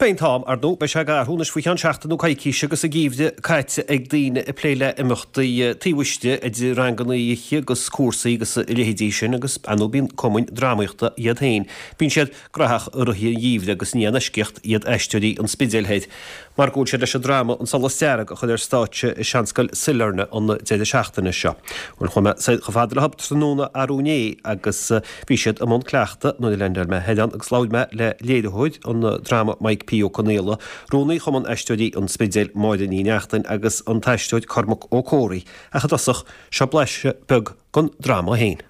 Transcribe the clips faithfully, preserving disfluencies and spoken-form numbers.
Beidh an t-am, ar ndóigh, beidh sé ag athrú anois faoi cheann seachtain nó coicíse agus an geimhreadh caite ag daoine ag plé le imeachtaí taobh istigh, idir ranganna oíche agus cúrsaí agus a leithéidí sin agus ar ndóigh bíonn cumainn drámaíochta iad féin. Bíonn siad graitheach i rith an gheimhridh agus ní aon eisceacht iad Aisteoirí an Spidéil Thoir mar go bhfuil siad leis an dráma An Solas Dearg a chur ar stáitse i Seanscoil Sailearna an deireadh seachtaine seo. Bhuel chuaigh mé soir chomh fada leo tráthnóna arú inné agus bhí siad i mbun cleachtaidh nuair a leaindeáil mé thoir ann agus labhair mé le léiritheoir an dráma Mike P. Ó Conaola, rúnaí Chumann Aisteoirí an Spidéil Máire Ní Neachtain agus an t-aisteoir Cormac Ó Comhraí ach i dtosach seo blaiseadh beag den dráma féin.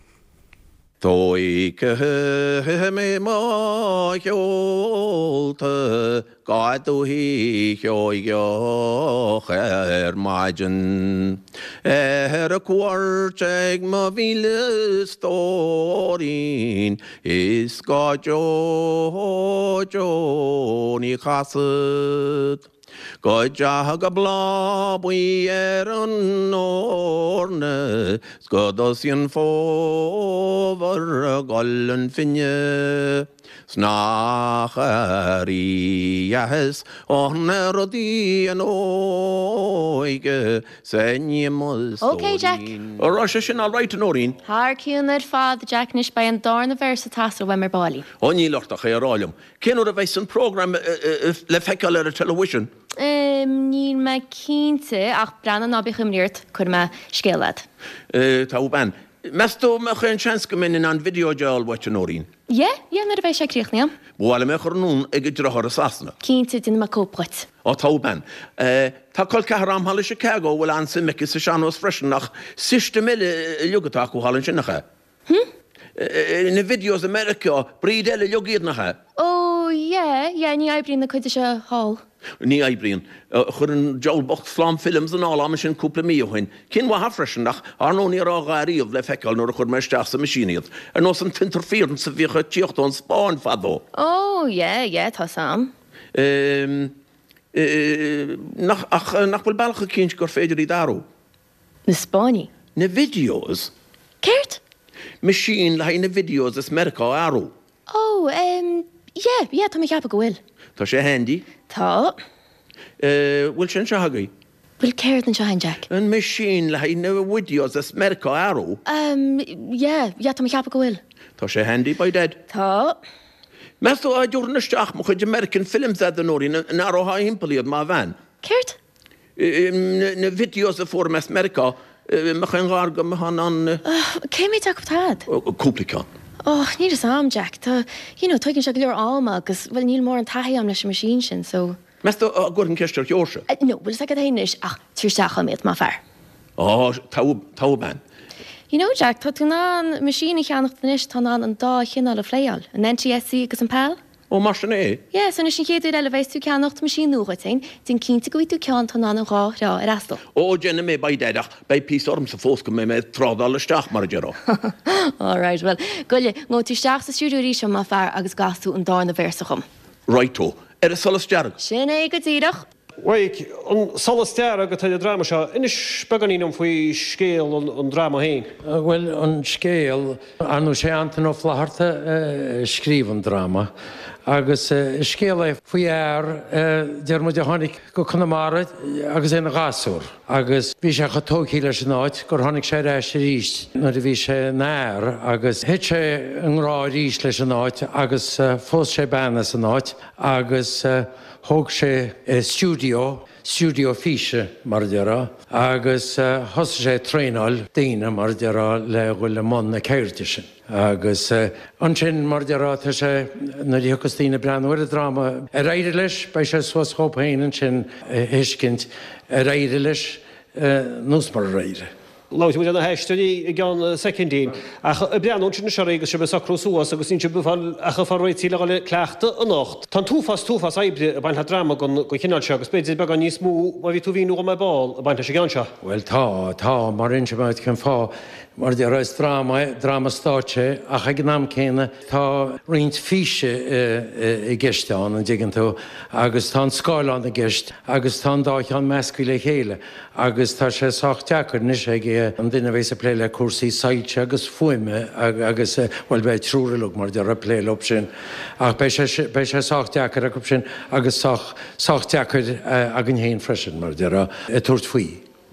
Tóigfidh mé mo sheolta go Dúiche Sheoigeach ar maidin. Ar cuairt ag mo mhíle stóirín is go deo deo ní chasfad. Go dteaga bláth buí ar an eorna 's go dtosaíonn fómhar ag gol 'un finne. 'S nach rídheas an rud í an óige 's a ní mo Ok, Jack. stóirín. An raibh sé sin all right, a Nóirín? Thar cionn ar fad, Jack, anois beidh an darna véarsa ag teastáil uaim ar ball. Ó níl ort ach é a rá liom. Cén uair a bheidh an program le feiceáil ar an television? Um, níl mé cinnte ach breathnaigh ná bíodh imní ort cuirfidh mé scéal leat. Tá bean. Meas tú an mbeadh aon seans go mbeinn in ann video a fháil uait, a Nóirín? Yeah, yeah, nuair a bheidh sé críochnaithe. Ba mhaith liom é a chur anonn ag an deartháir i Sasana. Cinnte, déanfaidh mé cóip dhuit. Ó tá bean. Tá col ceathar a'm thall i Chicago a bhfuil an-suim aici sa sean-nós freisin ach system eile uilig atá acu thall ansin nach ea? Hm? Na videos i Meiriceá, breed eile uilig iad nach ea? Ó, yeah, yeah, ní oibríonn na cuid seo thall. Ní oibríonn. Chuir an diabhal bocht slám films anall a'm ansin cúpla mí ó shin. Cinn mhaithe freisin ach ar ndóigh ní raibh a dhath riamh le feiceáil nuair a chuir mé isteach sa machine iad. Ar nós an t-interference a bhíodh ag tíocht ón Spáinn fadó. Ó, yeah, yeah, tá sam. Um, nach, ach nach bhfuil bealach eicínt gur féidir iad a athrú. Na Spáinnigh. Na videos. Céard? Machine le haghaidh na videos as Meiriceá a athrú. Ó, um, yeah, yeah, tá mé ag ceapadh go bhfuil. Tá sé handy. Tá. Bhfuil sé anseo agaibh? Bhfuil céard anseo againn, Jack? An machine le haghaidh na videos as Meiriceá a athrú. Um, yeah, yeah, tá mé ag ceapadh go bhfuil. Tá sé handy by dad. Tá. Meas tú dá dtabharfainn isteach mo chuid American films a Nóirín an athrófá thimpeall iad má bhean. Céard? Na videos a fuair mé as Meiriceá mbeadh aon ghair go mbeadh an Cé mhéad acu atá a'd? Cúpla ceann. Oh, níl fhios a'm, Jack. Tá, you know, tógann sé go leor ama agus, well, níl mórán taithí a'm leis an machine sin, so. Meas tú dá gcuirfinn ceist ar Sheoirse? No, bhfuil fhios agat féin anois ach tabhair isteach chugam iad, más fearr. Ó, tá, tá bean. You know, Jack, tá tú in ann machine a cheannacht anois, tá in ann an dá chineál a phlayáil, an NTSC agus an PAL. Ó, mar sin é? Yeah, so anois an chéad uair eile a bheas tú ag ceannacht machine nua dhuit féin, déan cinnte go bhfaighidh tú ceann atá in ann an dhá threo a fhreastal. Ó, déanfaidh mé by dad ach beidh píosa ormsa fós go mbeidh mé ag trádáil isteach, mar a déarfá. All right, well, goile, ngabhfaidh tú isteach sa stiúideo arís má fear agus gabhfaidh tú an darna véarsa chugam. Righto. Ar an solas dearg. Sin é go díreach. Mhaidhc, An Solas Dearg atá ar an dráma seo. Inis beagáinín dom faoi scéal an dráma féin. Bhuel, an scéal, ar ndóigh sé Antain Ó Flatharta a scríobh an dráma agus is scéal é faoi fhear, deir muid, a tháinig go Conamara agus é ina ghasúr agus bhí sé chomh tógtha leis an áit gur tháinig sé ar ais arís nuair a bhí sé ina fhear agus thit sé i ngrá arís leis an áit agus phós sé bean as an áit agus thóg sé stiúideo, stiúideo físe mar a déarfá, agus thosaigh sé ag traenáil daoine mar a déarfá le dhul i mbun na ceirde sin. Agus ansin mar a déarfá tá sé, nuair a thiocfas daoine ag breathnú ar an dráma, ar éirigh leis, beidh sé suas dhóibh féin ansin a thuiscint ar éirigh leis nó murar éirigh. Labhróidh muid ar na haisteoirí i gceann soicindín. Ach ag breathnú ansin anois oraibh agus sibh ag socrú suas agus níl sibh ag fáil ach ag fáil réitithe le dhul ag cleachtadh anocht. Tá an t-uafás t-uafás oibre ag baint le dráma den chineál seo agus b'fhéidir beagán níos mó má bhí tú a mhíniú dhom ar ball ag baint leis an gceann seo. Bhuel tá, tá, mar inseoidh mé duit cén fáth. Mar a déarfá is dráma é, dráma stáitse é ach ag an am céanna tá roinnt físe i gceist ann, an dtuigeann tú, agus tá an scáileán i gceist agus tá an dá cheann measctha le chéile. Agus tá sé sách deacair anois ag beidh an duine a bheas ag plé le cúrsaí soilse agus fuaime agus, bhuel, beidh triúr uilig, mar a déarfá, ag plé leo sin. Ach beidh sé, beidh sé sách deacair acu sin agus sách, sách deacair againn féin freisin, mar a déarfá, tabhairt faoi.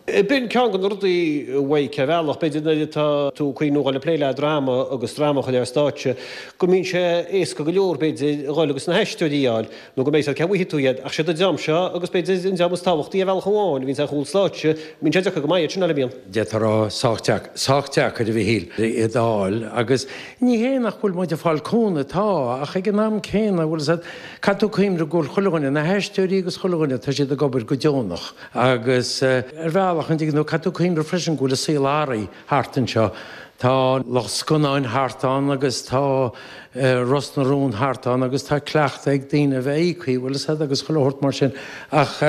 B'in ceann de na rudaí a mhaígh ar bhealach, b'fhéidir, nuair atá tú ag cuimhniú dhul ag plé le dráma agus dráma a chur ar stáitse, go mbíonn sé éasca go leor, b'fhéidir, a dhul agus na haisteoirí a fháil, nó go mbeidh siad cé bhfaighidh tú iad, ach siad an dream seo agus b'fhéidir an dream is tábhachtaí ar bhealach amháin a bhíonns ar chúl stáitse, bíonn sé deacair go maith iad sin a fháil, an mbíonn? D'fhéadfá a rá sách deacair, sách deacair a Mhichíl, iad a fháil agus ní hé nach bhfuil muid ag fáil cúnamh, tá, ach ag an am céanna, bhfuil fhios agat, caithfidh tú cuimhneamh go bhfuil chuile dhuine, na haisteoirí agus chuile dhuine, tá siad ag obair go deonach. Agus ar bhealach, an dtuigeann tú, caithfidh tú cuimhneamh freisin go bhfuil an saol athraithe thart anseo. Tá lucht scannáin thart ann agus tá Ros na Rún thart ann agus tá cleachtadh ag daoine a bheith íoctha, bhfuil fhios agat, agus chuile shórt mar sin. Ach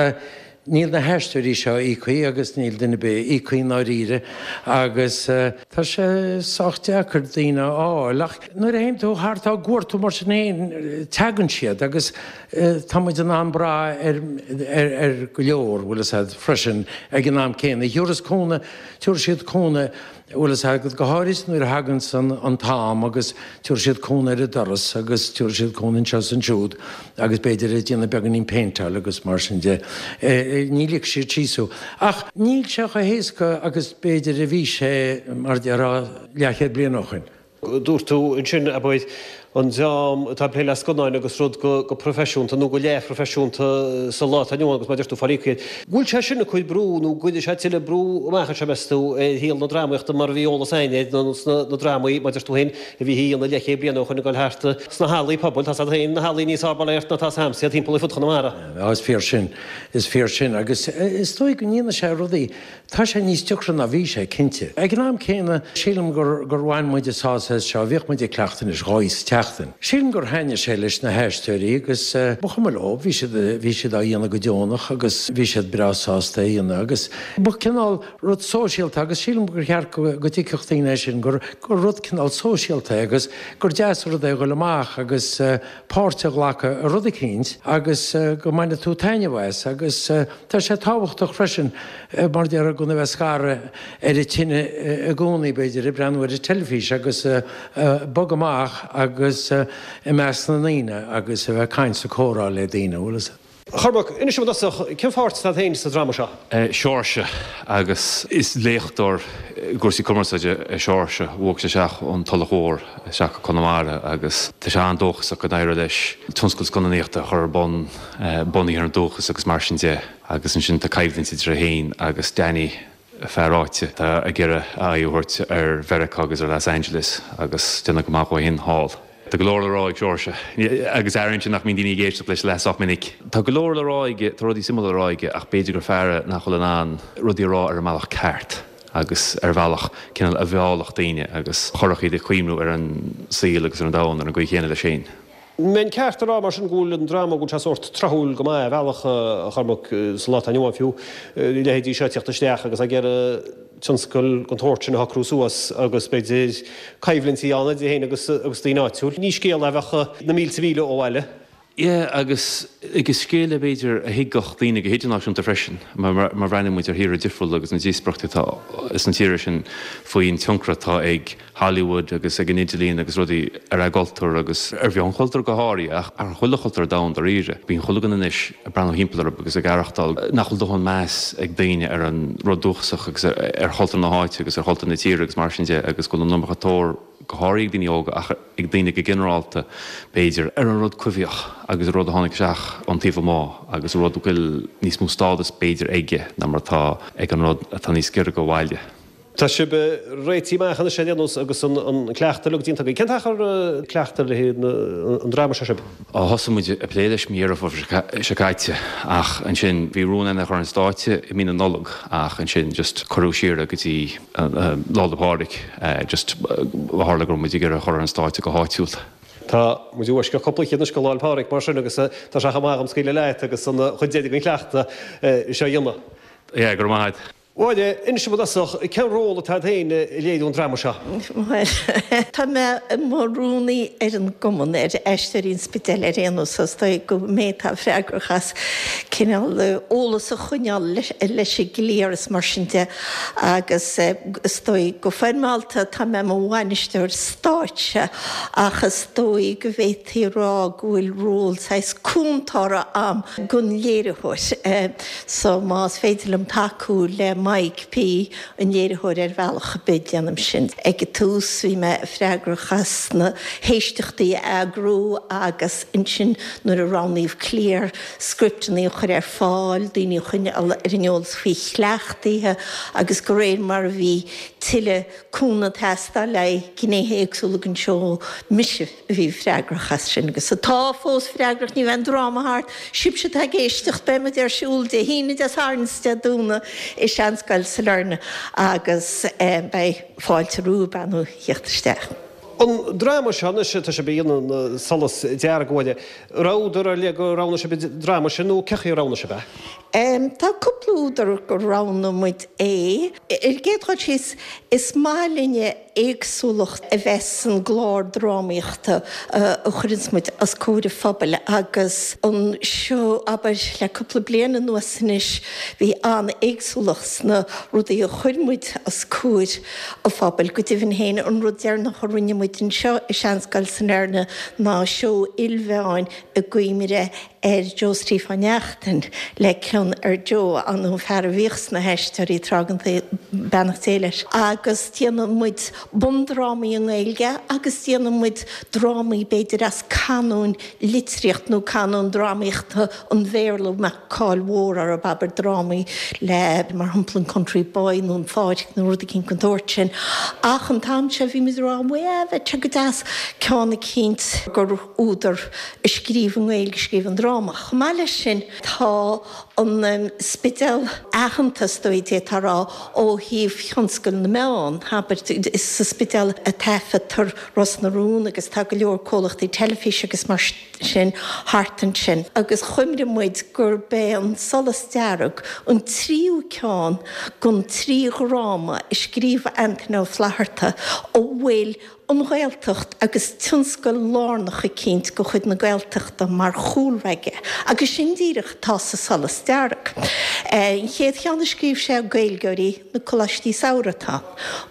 níl na haisteoirí seo íoctha agus níl duine ar bith íoctha i ndáiríre agus tá sé sách deacair daoine a fháil. Ach nuair a théann tú thart á gcuartú mar sin féin, teagann siad agus Tá muid in ann brath ar ar go leor, bhfuil fhios agat, freisin ag an am céanna. Thiúrfas cúnamh, tiúrfaidh siad cúnamh, bhfuil fhios agat, go háirid nuair a thaganns an an t-am agus tiúrfaidh siad cúnamh ar an doras agus tiúrfaidh siad cúnamh anseo is ansiúd agus b'fhéidir ag déanamh beagáinín péinteáil agus mar sin de. Ní ligfidh siad síos thú. Ach níl sé chomh héasca agus b'fhéidir a bhí sé, mar a déarfá, leathchéad bliain ó shoin. Dúirt tú ansin, abair, an dream atá ag plé le scannáin agus rud go proifisiúnta nó go leathphroifisiúnta sa lá atá inniu ann agus mar a deir tú fáil íoctha. Bhfuil sé sin ag cur brú nó gcuirfidh sé tuilleadh brú amach anseo meas tú ar shaol na drámaíochta mar a bhí eolas againn air nó sna drámaí mar a deir tú féin a bhí á dhéanamh leathchéad bliain ó shoin ag dul thart sna hallaí pobail, tá siad féin, na hallaí níos fearr bail ó Dhia ort ná tá a'msa iad timpeall ar fud Chonamara. Á is fíor sin, is fíor sin agus is dóigh go ndéanann sé rudaí Tá sé níos deacra ná bhí sé, cinnte. Ag an am céanna, sílim gur gur bhain muid sásamh as seo, bhíodh muid ag cleachtadh anois dhá oíche sa tseachtain. Sílim gur thaitnigh sé leis na haisteoirí agus ba chuma leo, bhí siad bhí siad á dhéanamh go deonach agus bhí siad breá sásta é a dhéanamh agus ba cineál rud sóisialta agus sílim gur cheart go go dtuigfeadh daoine é sin, gur gur rud cineál sóisialta é agus gur deas an rud é a dhul amach agus páirt a ghlacadh i rud eicínt agus go mbainfidh tú taitneamh as agus tá sé tábhachtach freisin mar a déarfá gan a bheith scartha ar an tine i gcónaí, b'fhéidir, ag breathnú ar an teilifís agus bog amach agus i measc na ndaoine agus a bheith ag caint is ag comhrá le daoine, bhfuil fhios. A Chormaic, inis dom i dtosach, cén pháirt atá agat féin sa dráma seo? Seoirse, agus is léachtóir i gcúrsaí cumarsáide é Seoirse. Bhog sé isteach ón Tulach Mhór isteach go Conamara agus tá sé an-dóchasach go n-éireoidh leis tionscal scannánaíochta a chur ar bun, bunaithe ar an dúchas agus mar sin de. Agus ansin tá coimhlint idir é féin agus Danny, fear áite atá ag iarraidh a aghaidh a thabhairt ar Mheiriceá agus ar Los Angeles agus déanamh go maith dhó féin thall. Tá go leor le rá ag Seoirse, agus airíonn sé nach mbíonn daoine ag éisteacht leis leath sách minic. Tá go leor le rá aige, tá rudaí suimiúla le rá aige ach b'fhéidir gur fear é nach bhfuil in ann rudaí a rá ar an mbealach ceart agus ar bhealach cineál a mheallfadh daoine agus a chuirfeadh iad ag cuimhniú ar an saol agus ar an domhan ar an gcaoi chéanna leis féin. Mbeinn ceart a rá mar sin go bhfuil an dráma, go bhfuil sé sórt tráthúil go maith ar bhealach, a Chormaic, sa lá atá inniu ann fiú, a leithéidí seo ag tíocht isteach agus ag iarraidh tionscal den tsórt sin a shocrú suas agus b'fhéidir coimhlintí ann idir féin agus agus daoine áitiúil. Ní scéal é a bheadh na mílte míle ó bhaile. Yeah, agus agus scéal é b'fhéidir a thuigfeadh daoine go hidirnáisiúnta freisin, mar má bhreathnaíonn muid ar thíortha difriúla agus na díospóireachtaí atá sna tíortha sin faoin tionchar atá ag Hollywood agus ag an idirlíon agus rudaí ar a gcultúr agus ar mhionchultúr go háirithe ach ar chuile chultúr ar domhan dáiríre. Bíonn chuile dhuine anois ag breathnú thimpeall orthu agus ag aireachtáil nach bhfuil dóthain meas ag daoine ar an rud dúchasach agus ar chultúr na háite agus ar chultúr na tíre agus mar sin de agus go bhfuil an iomarca tóir go háirithe ag daoine óga ach ag daoine go ginearálta, b'fhéidir, ar an rud coimhthíoch agus an rud a tháinig isteach ón taobh amuigh agus an rud a bhfuil níos mó stádas b'fhéidir aige ná mar atá ag an rud atá níos giorra do bhaile. Tá sibh réitithe amach anois ar aon nós agus an cleachtadh uilig déanta agaibh. Cén t-achar ag cleachtadh le haghaidh an dráma seo sibh? Ó thosaigh muid ag plé leis mí Dheireadh Fómhair seo caite ach ansin bhí rún againn é a chur ar an stáitse i mí na Nollag ach ansin just cuireadh siar é go dtí Lá 'le Pádraig just ó tharla go raibh muid ag iarraidh a chur ar an stáitse go háitiúil. Tá muid i bhfoisceacht cúpla oíche anois go Lá 'le Pádraig mar sin agus tá sé chomh maith agam scaoileadh leat agus an chuid deiridh den chleachtadh seo a dhéanamh. Yeah, go raibh maith agat. Mháire, inis dom i dtosach, cén ról atá agat féin i léiriú an dráma seo? Bhuel, tá mé i mo rúnaí ar an gcumann, ar Aisteoirí an Spidéil ar aon nós, is dóigh go mé atá freagrach as cineál eolas a choinneáil leis an gcliar is mar sin de agus is dóigh go foirmeálta tá mé i mo bhainisteoir stáitse ach is dóigh go bhféadfaí a rá go bhfuil ról saghas cúntóra a'm gon léiritheoir so más féidir liom tacú le Mike P, an léiritheoir ar bhealach ar bith, déanaim sin. Ag an tús bhí mé freagrach as na héisteachtaí a eagrú agus ansin nuair a roghnaíodh cliar, scripteanna a chur ar fáil, daoine a choinneáil ar an eolas faoi chleachtaithe agus de réir mar a bhí tuilleadh cúnamh ag teastáil le haghaidh gnéithe éagsúla den seó, mise a bhí freagrach as sin agus atá fós freagrach, ní bheidh an dráma thart, sibhse atá ag éisteacht, beidh muid ar siúl Dé hAoine, Dé Sathairn is Dé Domhnaigh i Seanscoil Sailearna agus beidh fáilte romhaibh ar ndóigh theacht isteach. An dráma seo anois, tá sibh ag déanamh An Solas Dearg, a Mháire, raibh údar ar leith gur roghnaigh sibh an dráma sin nó cé chaoi a roghnaigh sibh é? Tá cúpla údar gur roghnaigh muid é. Ar an gcéad dul síos, is maith linne éagsúlacht a bheith san gclár drámaíochta a chuireanns muid os comhair an phobail agus an seó, abair, le cúpla bliain anuas anois, bhí an-éagsúlacht sna rudaí a chuir muid os comhair an phobail. Go deimhin féin, an rud deireanach a rinne muid anseo i Seanscoil Sailearna ná seó ilmheáin i gcuimhne ar Joe Steve Neachtain le cion ar Joe, an fear a bhíodh sna hAisteoirí tráth den tsaol, beannacht Dé leis. Agus déanann muid bundrámaí i nGaeilge agus déanann muid drámaí b'fhéidir as canóin litríocht nó canóin drámaíochta an Bhéarla a mbeadh cáil mhór orthu, abair drámaí le, mar shampla, an Country Boy nó an Pháirc nó rud eicínt den tsórt sin. Ach an t-am seo bhí muid ag rá, bhuel, bheadh sé go deas ceann eicínt gur údar a scríobh i nGaeilge a scríobh an dráma. Chomh maith leis sin, tá an Spidéal aitheanta, is dóigh, d'fhéadfá a rá, ó thaobh thionscal na meán, abair, is sa Spidéal a taifeadtar Ros na Rún agus tá go leor comhlachtaí teilifíse agus mar sin thart ansin. Agus chuimhnigh muid gurb é An Solas Dearg an tríú ceann den trí dhráma a scríobh Antaine Ó Flatharta a bhfuil an Ghaeltacht agus tionscal lárnach eicínt de chuid na Gaeltachta mar chúlra aige, agus sin díreach atá sa Solas Dearg. An chéad cheann a scríobh sé, Gaeilgeoirí, na Coláistí Samhraidh atá ann.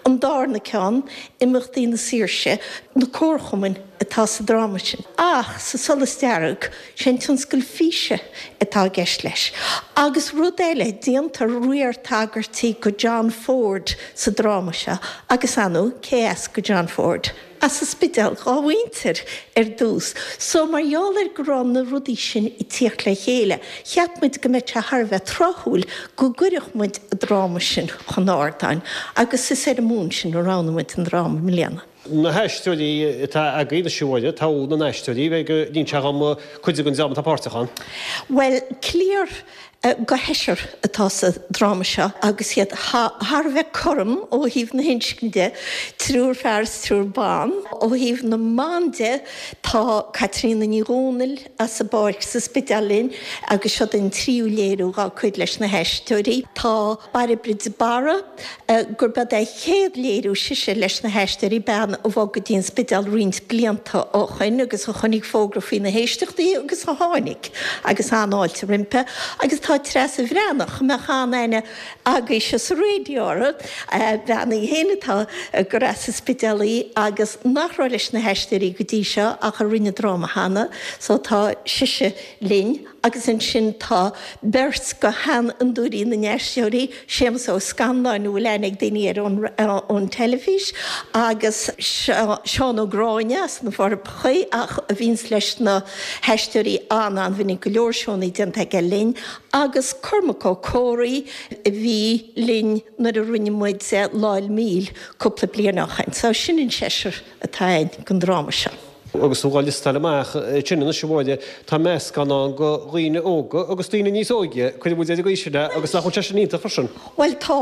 An darna ceann, Imeachtaí na Saoirse, na Comharchumainn atá sa dráma sin. Ach sa Solas Dearg, sé an tionscal físe atá i gceist leis. Agus rud eile, déantar riar tagairtí go John Ford sa dráma seo, agus ar ndóigh, cé as go John Ford? As an Spidéal dhá mhuintir ar dtús. So mar gheall ar go raibh na rudaí sin ag tíocht le chéile, cheap muid go mbeadh sé thar a bheith tráthúil go gcuirfeadh muid an dráma sin chun ardáin, agus is ar an mbonn sin a roghnaigh muid an dráma i mbliana. Na haisteoirí atá agaibh anois, a Mháire, togha na n-aisteoirí, bheidh go n-inseoidh dhom cuid den dream atá páirteach ann. Bhuel, cliar de sheisear atá sa dráma seo agus iad thar a bheith cothrom ó thaobh na hinscne de, triúr fear is triúr ban. Ó thaobh na mban de, tá Caitríona Ní Dhomhnaill as an bPáirc sa Spidéal linn agus seo an tríú léiriú dá cuid leis na hAisteoirí. Tá Bairbre de Barra, gurb é a chéad léiriú sise leis na hAisteoirí, bean a bhog go dtí an Spidéal roinnt blianta ó shoin agus a chonaic fógra faoi na héisteachtaí agus a tháinig agus an-fháilte roimpi. Agus tá Treasa Bhreathnach, a mbeadh an-aithne agaibhse sa raidió uirthi, bean í féin atá gur as an Spidéal í agus nach raibh leis na hAisteoirí go dtí seo ach a rinne dráma cheana, so tá sise linn. Agus ansin tá beirt de sheanfhondúirí na nAisteoirí, Séamus Ó Scanláin, a bhfuil aithne ag daoine air ón teilifís, agus Seán Ó Gráinne as na Forbacha, ach a bhíonns leis na hAisteoirí an-an-mhinic, go leor seónna déanta aige linn, agus Cormac Ó Comhraí, a bhí linn nuair a rinne muid Lá 'le Míl cúpla bliain ó shoin. So sin an seisear atá againn don dráma seo. Agus tú dhá liostáil amach ansin anois a Mháire, tá meascán ann de dhaoine óga agus daoine níos óige, cuirfidh muid ar an gcaoi sin é, agus nach bhfuil sé sin iontach freisin? Bhuel tá,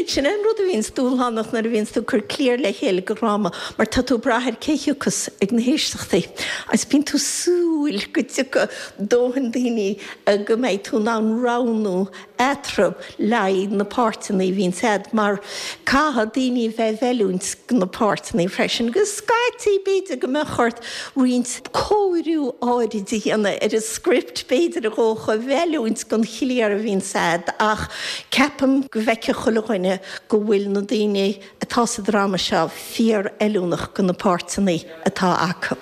sin é an rud a bhíonns dúshlánach nuair a bhíonns tú ag cur cliar le chéile do dhráma mar tá tú ag brath ar cé thiocfas ag na héisteachtaí agus bíonn tú ag súil go dtiocfaidh dóthain daoine go mbeidh tú in ann roghnú eatarthu le haghaidh na páirteanna a bhíonns a'd mar caithfidh daoine a bheith i bhfeiliúint do na páirteanna freisin agus scaití b'fhéidir go mbeadh ort roinnt cóiriú áirid a dhéanamh ar an script b'fhéidir a dhócha i bhfeiliúint don chliar a bhíonns a'd ach ceapaim go bhfeicfidh chuile dhuine go bhfuil na daoine atá sa dráma seo fíor fheiliúnach do na páirteanna atá acu.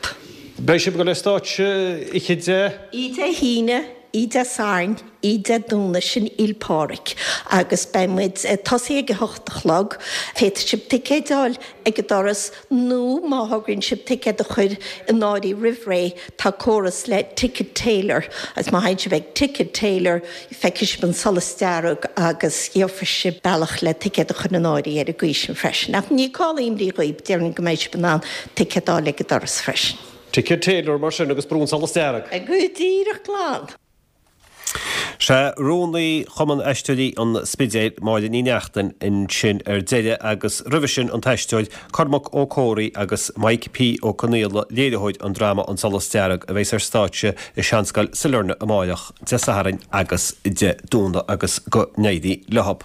Beidh sibh ag dul ar stáitse oíche Dé. Oíche Dé hAoine. Oíche Dé Sathairn, Oíche Dé Domhnaigh, sin Fhéil' Pádraig agus beidh muid ag tosaí ag a hocht a chlog. Féadfaidh sibh ticéid a fháil ag an doras nó má thograíonn sibh ticéad a chur in áirithe roimh ré, tá córas le Ticket Tailor agus má théann sibh ag Ticket Tailor feicfidh sibh an solas dearg agus gheobhaidh sibh bealach le ticéad a chur in áirithe ar an gcaoi sin freisin. Ach ní call imní dhaoibh, déarfainn go mbeidh sibh in ann ticéad a fháil ag an doras freisin. Ticket Tailor mar sin agus brú an solas dearg. Go díreach glan. Sea, Rúnaí Chumann Aisteoirí an Spidéil, Máire Ní Neachtain, ansin ar deireadh agus roimhe sin an t-aisteoir Cormac Ó Comhraí agus Mike P. Ó Conaola, léiritheoir an dráma An Solas Dearg a bheas ar stáitse i Seanscoil Sailearna amáireach, Dé Sathairn agus Dé Domhnaigh agus go n-éirí leo.